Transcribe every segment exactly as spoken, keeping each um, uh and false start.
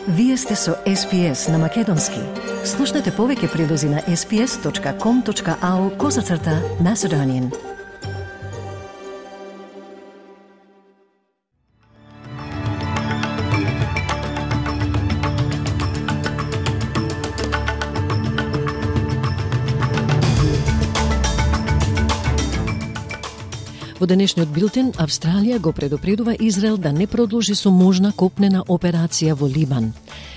Вие сте со Ес Пи Ес на Македонски. Слушнете повеќе прилози на ес пи ес точка ком точка ау козацрта Macedonian. Во денешниот билтен, Австралија го предупредува Израел да не продолжи со можна копнена операција во Либан.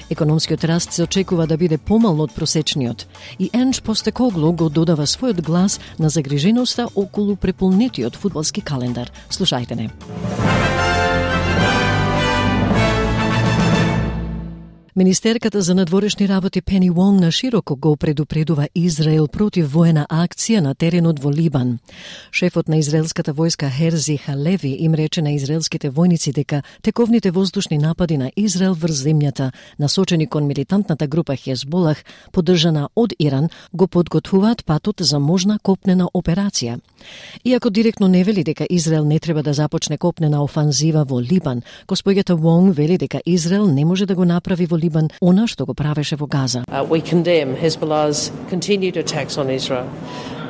Економскиот раст се очекува да биде помал од просечниот и Енч Постекоглу го додава својот глас на загриженоста околу преполнетиот фудбалски календар. Слушајте не. Министерката за надворешни работи Пени Вонг на широко го предупредува Израел против воена акција на теренот во Либан. Шефот на израелската војска Херзи Халеви им рече на израелските војници дека тековните воздушни напади на Израел врз земјата, насочени кон милитантната група Хезболах, поддржана од Иран, го подготвуваат патот за можна копнена операција. Иако директно не вели дека Израел не треба да започне копнена офанзива во Либан, госпоѓата Вонг вели дека Израел не може да го направи во Либан она што го правеше во Газа. Uh, we condemn Hezbollah's continued attacks on Israel.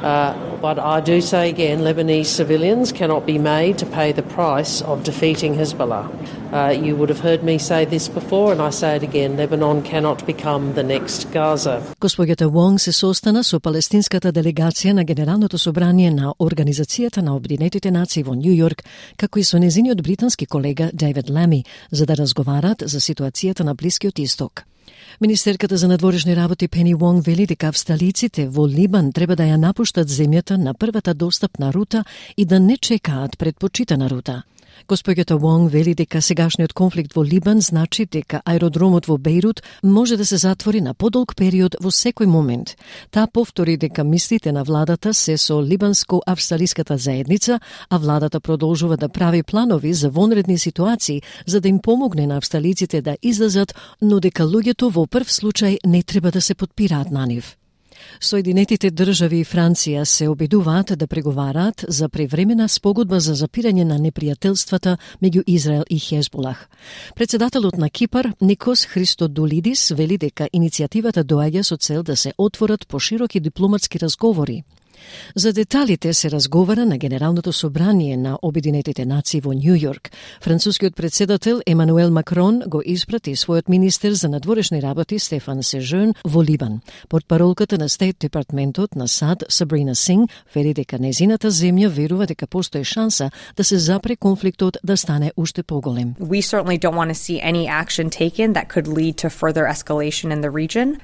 Uh, but I do say again, Lebanese civilians cannot be made to pay the price of defeating Hezbollah. Uh, you would have heard me say this before, and I say it again, Lebanon cannot become the next Gaza. Госпоѓата Вонг се состана со палестинската делегација на Генералното собрание на Организацијата на Обединетите нации во Њу Јорк, како и со незиниот британски колега Дейвид Лами, за да разговарат за ситуацијата на Блискиот Исток. Министерката за надворешни работи Пени Вонг вели дека австралиците во Либан треба да ја напуштат земјата на првата достапна рута и да не чекаат предпочитана рута. Госпоѓата Вонг вели дека сегашниот конфликт во Либан значи дека аеродромот во Бејрут може да се затвори на подолг период во секој момент. Таа повтори дека мислите на владата се со либанско-австралиската заедница, а владата продолжува да прави планови за вонредни ситуации за да им помогне на австралиците да излезат, но дека луѓето во прв случај не треба да се подпираат на нив. Соединетите држави и Франција се обидуваат да преговараат за превремена спогодба за запирање на непријателствата меѓу Израел и Хезболах. Председателот на Кипар, Никос Христодулидис, вели дека иницијативата доаѓа со цел да се отворат пошироки дипломатски разговори. За деталите се разговара на Генералното собрание на Обединетите нации во Њу Јорк. Францускиот председател Емануел Макрон го испрати својот министер за надворешни работи Стефан Сежерн во Либан. Портпаролката на Стейт департментот на САД Сабрина Синг вели дека незината земја верува дека постои шанса да се запре конфликтот да стане уште поголем. We certainly don't want to see any action taken that could lead to further escalation in the region.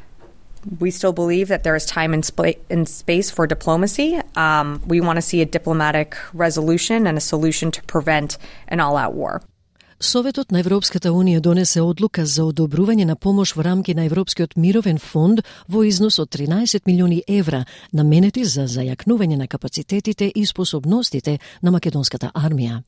We still believe that there is time and, sp- and space for diplomacy. Um, we want to see a diplomatic resolution and a solution to prevent an all-out war. Советот на Европската Унија донесе одлука за одобрување на помош во рамки на Европскиот мировен фонд во износ од тринаесет милиони евра, наменети за зајакнување на капацитетите и способностите на македонската армија.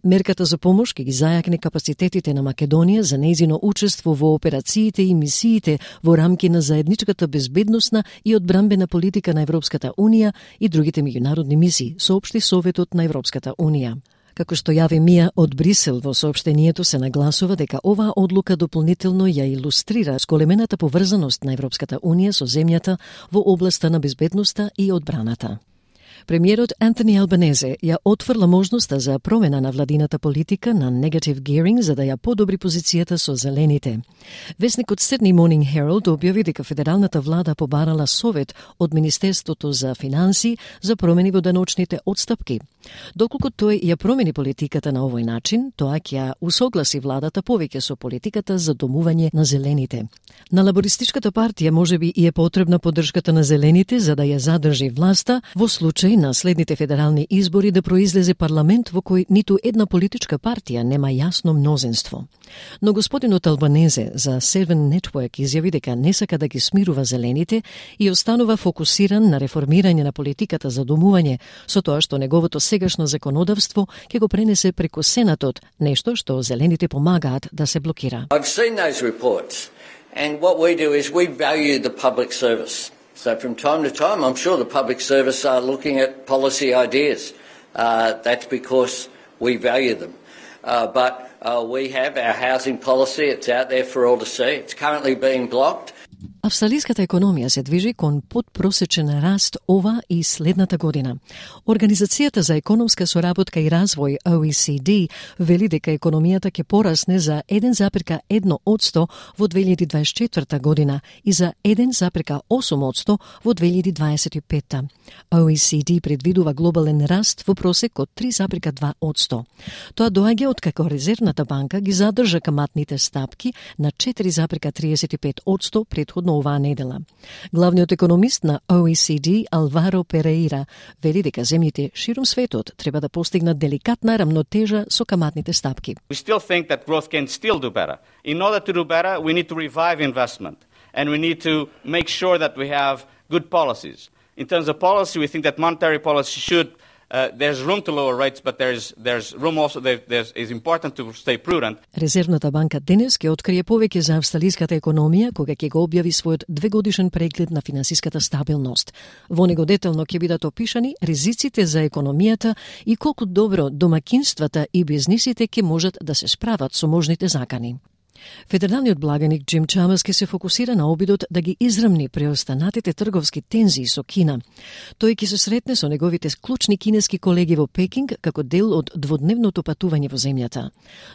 Мерката за помош ќе ги зајакне капацитетите на Македонија за нејзино учество во операциите и мисиите во рамки на заедничката безбедносна и одбранбена политика на Европската Унија и другите меѓународни мисии, соопшти Советот на Европската Унија. Како што јави Мија од Брисел во соопштението се нагласува дека оваа одлука дополнително ја илустрира зголемената поврзаност на Европската Унија со земјата во областа на безбедноста и одбраната. Премиерот Антони Албанезе ја отфрла можноста за промена на владината политика на negative gearing за да ја подобри позицијата со зелените. Весникот Sydney Morning Herald објави дека федералната влада побарала совет од Министерството за финансии за промени во даночните отстапки. Доколку тој ја промени политиката на овој начин, тоа ќе ја усогласи владата повеќе со политиката за домување на зелените. На лабористичката партија можеби и е потребна поддршката на зелените за да ја задржи власта во случај на следните федерални избори да произлезе парламент во кој ниту една политичка партија нема јасно мнозинство. Но господинот Албанезе за Seven Network изјави дека не сака да ги смирува зелените и останува фокусиран на реформирање на политиката за домување, со тоа што неговото сегашно законодавство ќе го пренесе преку Сенатот, нешто што зелените помагаат да се блокира. I've seen those reports and what we do is we value the public service. So from time to time, I'm sure the public service are looking at policy ideas. Uh, that's because we value them. Uh, but uh, we have, our housing policy. It's out there for all to see. It's currently being blocked. Австралиската економија се движи кон подпросечен раст ова и следната година. Организацијата за економска соработка и развој О И Си Ди вели дека економијата ќе порасне за еден запирка едно одсто во две илјади дваесет и четврта година и за еден запирка осум одсто во две илјади дваесет и петта. О И Си Ди предвидува глобален раст во просек од три запирка два одсто. Тоа доаѓа откако Резервната банка ги задржа каматните стапки на четири запирка триесет и пет одсто предходно оваа недела. Главниот економист на О И Си Ди, Алваро Переира, вели дека земјите ширум светот треба да постигнат деликатна рамнотежа со каматните стапки. We still think that growth can still do better. In order to do better, we need to revive investment and we need to make sure that we have good policies. In terms of policy, we think that monetary policy should Uh, there's room to lower rates, but there's there's room also there there's is important to stay prudent. Резервната банка денес ќе открие повеќе за австралиската економија кога ќе го објави својот двегодишен преглед на финансиската стабилност. Во него детално ќе бидат опишани ризиците за економијата и колку добро домакинствата и бизнисите ќе можат да се справат со можните закани. Федералниот благаник Джим Чамерс ќе се фокусира на обидот да ги израмни преостанатите трговски тензии со Кина. Тој ќе се сретне со неговите клучни кинески колеги во Пекинг како дел од дводневното патување во земјата.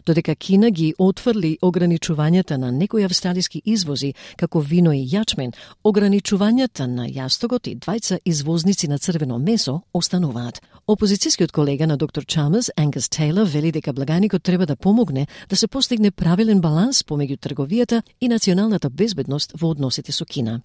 Додека Кина ги отфрли ограничувањата на некои австралиски извози, како вино и јачмен, ограничувањата на јастогот и двајца извозници на црвено месо остануваат. Опозицијскиот колега на доктор Чамерс, Ангус Тейлор, вели дека благаникот треба да помогне да се постигне правилен баланс помеѓу трговијата и националната безбедност во односите со Кина.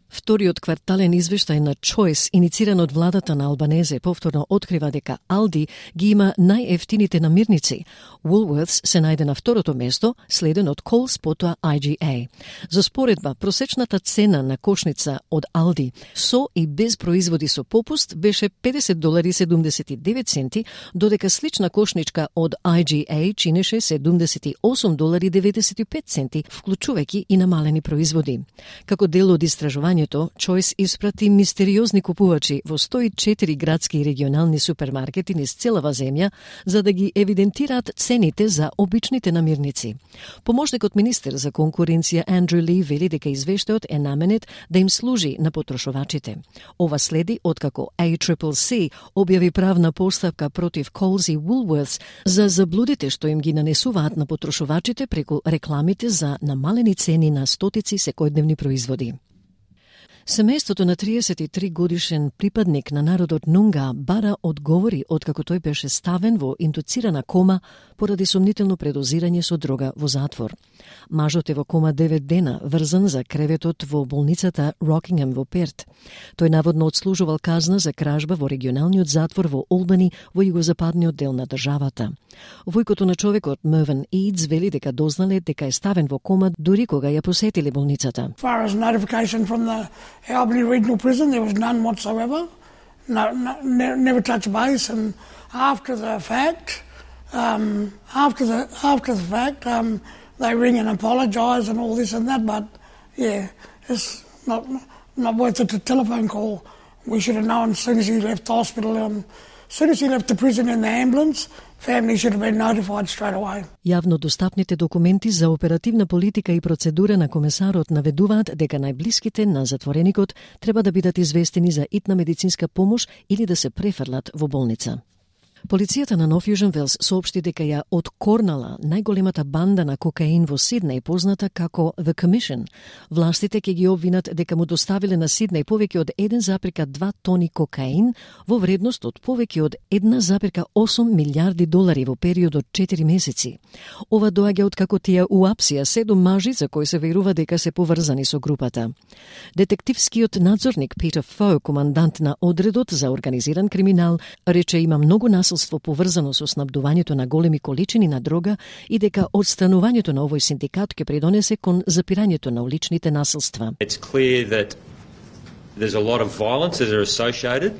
Вториот квартален извештај на Choice, инициран од владата на Албанезе, повторно открива дека Алди ги има најефтините намирници. Woolworths се најде на второто место, следен од Coles, потоа I G A. За споредба, просечната цена на кошница од Алди со и без производи со попуст беше педесет долари седумдесет и девет центи, додека слична кошничка од I G A чинеше седумдесет и осум долари деветдесет и пет центи, вклучувајќи и намалени производи. Како дел од истражувањето, Choice испрати мистериозни купувачи во сто и четири градски и регионални супермаркети низ целава земја за да ги евидентираат цените за обичните намирници. Помошникот министер за конкуренција Андрю Ли вели дека извештајот е наменет да им служи на потрошувачите. Ова следи откако A C C C објави правна постапка против Coles и Woolworths за заблудите што им ги нанесуваат на потрошувачите преку рекламите за намалени цени на стотици секојдневни производи. Семејството на триесет и три годишен припадник на народот Нунга бара одговори откако тој беше ставен во индуцирана кома поради сомнително предозирање со дрога во затвор. Мажот е во кома девет дена, врзан за креветот во болницата Рокингем во Перт. Тој наводно отслужувал казна за кражба во регионалниот затвор во Олбани во југозападниот дел на државата. Војкото на човекот Мервин Идс вели дека дознале дека е ставен во кома дури кога ја посетиле болницата. Far as notification from the Albany Regional Prison, there was none whatsoever. No, no, ne- never touched base, and after the fact, um, after the after the fact, um, they ring and apologise and all this and that. But yeah, it's not not worth it. A telephone call. We should have known as soon as he left the hospital. Um, as soon as he left the prison in the ambulance, family should have been notified straight away. Јавно достапните документи за оперативна политика и процедура на комесарот наведуваат дека најблиските на затвореникот треба да бидат известени за итна медицинска помош или да се префрлат во болница. Полицијата на Нов Јужен Велс соопшти дека ја откорнала најголемата банда на кокаин во Сиднеј, позната како The Commission. Властите ќе ги обвинат дека му доставиле на Сиднеј повеќе од еден запирка два тони кокаин во вредност од повеќе од една запирка осум милиарди долари во период од четири месеци. Ова доаѓа од како тие уапсија седум мажи за кои се верува дека се поврзани со групата. Детективскиот надзорник Питер Фо, командант на одредот за организиран криминал, рече има многу насилство поврзано со снабдувањето на големи количини на дрога и дека одстранувањето на овој синдикат ќе придонесе кон запирањето на уличните насилства. It's clear that there's a lot of violence that are associated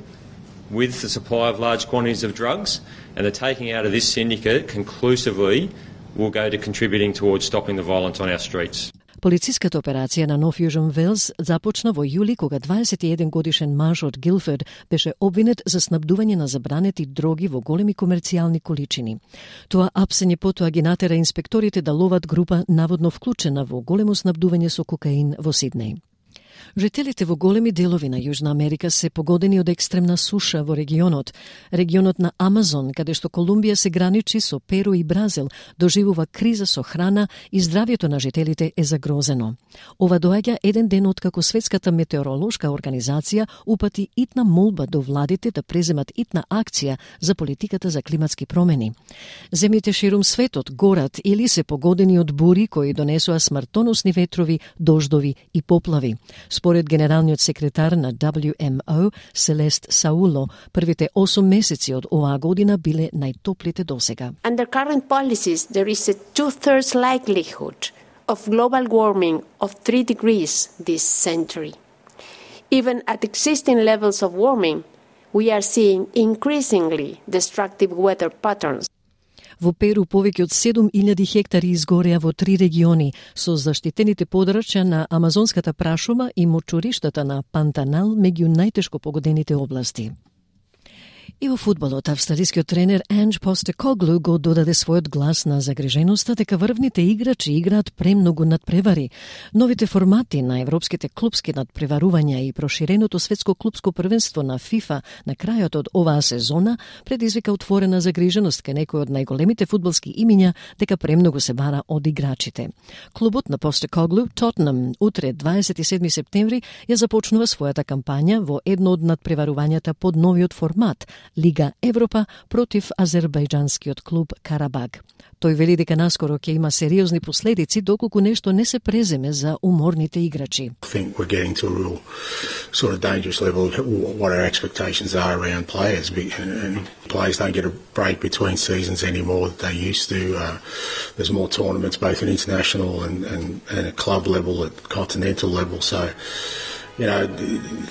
with the supply of large quantities of drugs, and the taking out of this syndicate conclusively will go to contributing towards stopping the violence on our streets. Полициската операција на Нов Јужен Велс започна во јули кога дваесет и еден годишен маж од Гилфорд беше обвинет за снабдување на забранети дроги во големи комерцијални количини. Тоа апсење потоа ги натера инспекторите да ловат група наводно вклучена во големо снабдување со кокаин во Сиднеј. Жителите во големи делови на Јужна Америка се погодени од екстремна суша во регионот. Регионот на Амазон, каде што Колумбија се граничи со Перу и Бразил, доживува криза со храна и здравјето на жителите е загрозено. Ова доаѓа еден ден откако Светската метеоролошка организација упати итна молба до владите да преземат итна акција за политиката за климатски промени. Земјите ширум светот горат или се погодени од бури кои донесоа смртоносни ветрови, дождови и поплави. Според генералниот секретар на дабљу ем о, Селест Сауло, првите осум месеци од оваа година биле најтоплите досега. Under current policies, there is a two-thirds likelihood of global warming of three degrees this century. Even at existing levels of warming, we are seeing increasingly destructive weather patterns. Во Перу повеќе од седум илјади хектари изгореа во три региони, со заштитените подрачја на амазонската прашума и мочуриштата на Пантанал меѓу најтешко погодените области. И во фудбалот, австралискиот тренер Анge Постекоглу го додаде својот глас на загриженоста дека врвните играчи играат премногу надпревари. Новите формати на европските клупски надпреварувања и проширеното светско клупско првенство на ФИФА на крајот од оваа сезона предизвика отворена загриженост кај некои од најголемите фудбалски имиња дека премногу се бара од играчите. Клубот на Постекоглу, Тотнам, утре дваесет и седми септември ја започнува својата кампања во едно од надпреварувањата под новиот формат Лига Европа против азербајџанскиот клуб Карабаг. Тој вели дека наскоро ќе има сериозни последици доколку нешто не се преземе за уморните играчи. I think we're getting to a real sort of dangerous level of what our expectations are around players, and players don't get a break between seasons anymore that they used to. Uh, there's more tournaments both at international and, and, and at club level, at continental level, so you know,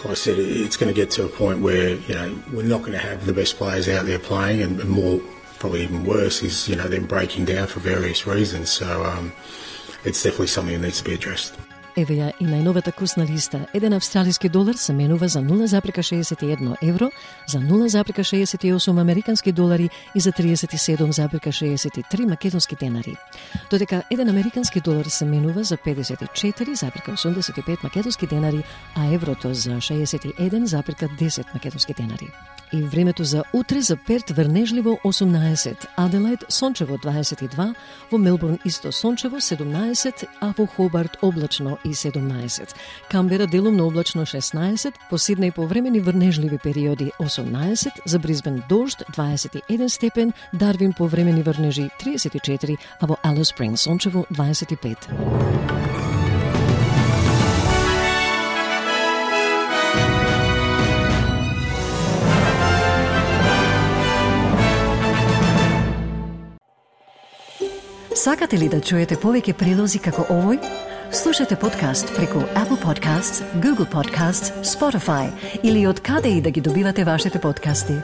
like I said, it's going to get to a point where, you know, we're not going to have the best players out there playing, and, and more, probably even worse, is, you know, them breaking down for various reasons. So um, it's definitely something that needs to be addressed. Еве ја и најновата курсна листа. Еден австралиски долар се менува за нула запирка шеесет и едно евро, за нула запирка шеесет и осум американски долари и за триесет и седум запирка шеесет и три македонски денари. Додека еден американски долар се менува за педесет и четири запирка осумдесет и пет македонски денари, а еврото за шеесет и еден запирка десет македонски денари. И времето за утре за Перт врнежливо осумнаесет, Аделајд сончево дваесет и два, во Мелбурн исто сончево седумнаесет, а во Хобарт облачно и седумнаесет. Камбера делумно облачно шеснаесет, по Сиднеј повремени врнежливи периоди осумнаесет, за Брисбен дожд дваесет и еден степен, Дарвин повремени врнежи триесет и четири, а во Алис Спрингс сончево дваесет и пет. Сакате ли да чуете повеќе прилози како овој? Слушате подкаст преку Apple Podcasts, Google Podcasts, Spotify или од каде и да ги добивате вашите подкасти.